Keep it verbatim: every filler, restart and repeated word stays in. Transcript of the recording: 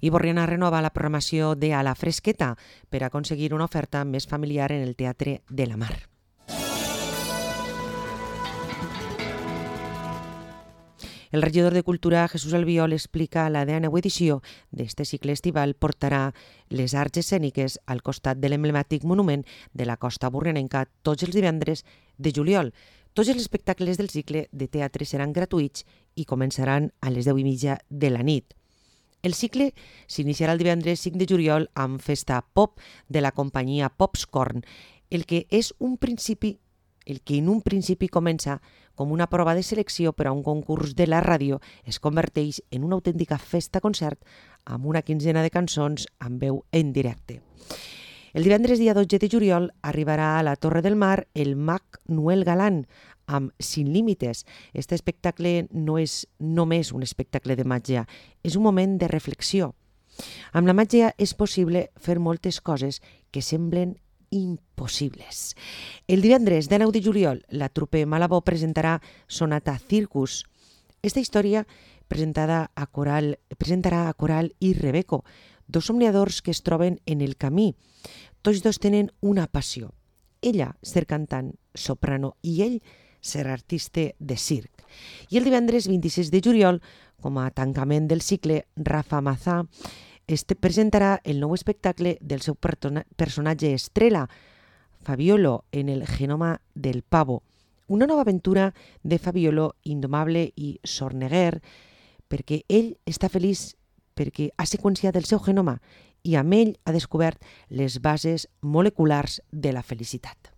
I Borriana renova la programació de A la Fresqueta per aconseguir una oferta més familiar en el Teatre de la Mar. El regidor de Cultura, Jesús Albiol, explica la dècima edició d'este cicle estival portarà les arts escèniques al costat de l'emblemàtic monument de la costa borrianenca tots els divendres de juliol. Tots els espectacles del cicle de teatre seran gratuïts i començaran a les deu i mitja de la nit. El cicle s'iniciarà el divendres cinc de juliol amb festa pop de la companyia Popscorn, el que és un principi El que en un principi comença com una prova de selecció per a un concurs de la ràdio es converteix en una autèntica festa-concert amb una quinzena de cançons amb veu en directe. El divendres dia dotze de juliol arribarà a la Torre del Mar el mag Noel Galán amb Sin Límites. Este espectacle no és només un espectacle de màgia, és un moment de reflexió. Amb la màgia és possible fer moltes coses que semblen impossibles. El divendres de nou de juliol, la trupe Malabó presentarà Sonata Circus. Esta història presentada a Coral, presentarà a Coral i Rebeco, dos somniadors que es troben en el camí. Tots dos tenen una passió. Ella, ser cantant, soprano, i ell, ser artista de circ. I el divendres vint-i-sis de juliol, com a tancament del cicle, Rafa Mazà Este presentarà el nou espectacle del seu personatge estrella, Fabiolo, en el genoma del pavo. Una nova aventura de Fabiolo indomable i sorneguer, perquè ell està feliç perquè ha seqüenciat el seu genoma i amb ell ha descobert les bases moleculars de la felicitat.